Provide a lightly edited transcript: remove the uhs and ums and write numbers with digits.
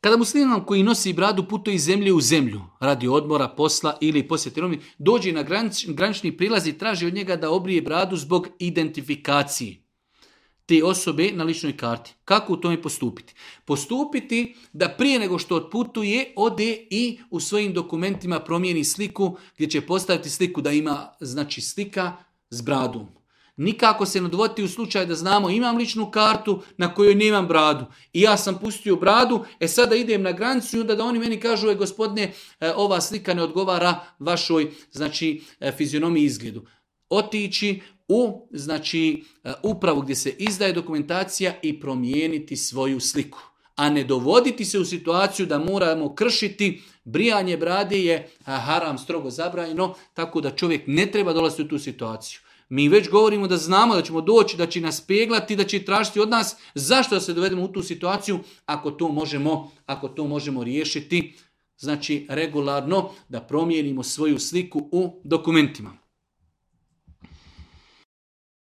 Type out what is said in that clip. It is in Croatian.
Kada musliman koji nosi bradu putuje iz zemlje u zemlju, radi odmora, posla ili posjete Romi, dođe na granični prilaz i traži od njega da obrije bradu zbog identifikacije te osobe na ličnoj karti. Kako u tome postupiti? Postupiti da prije nego što otputuje, ode i u svojim dokumentima promijeni sliku gdje će postaviti sliku da ima, znači, slika s bradom. Nikako se ne dovoditi u slučaj da znamo imam ličnu kartu na kojoj nemam bradu. I ja sam pustio bradu, sada idem na granicu i onda da oni meni kažu, gospodine, ova slika ne odgovara vašoj, znači, fizionomiji i izgledu. Otići u, znači, upravu gdje se izdaje dokumentacija i promijeniti svoju sliku. A ne dovoditi se u situaciju da moramo kršiti. Brijanje brade je haram, strogo zabranjeno, tako da čovjek ne treba dolaziti u tu situaciju. Mi već govorimo da znamo da ćemo doći, da će nas peglati, da će tražiti od nas. Zašto da se dovedemo u tu situaciju ako to možemo riješiti, znači regularno, da promijenimo svoju sliku u dokumentima.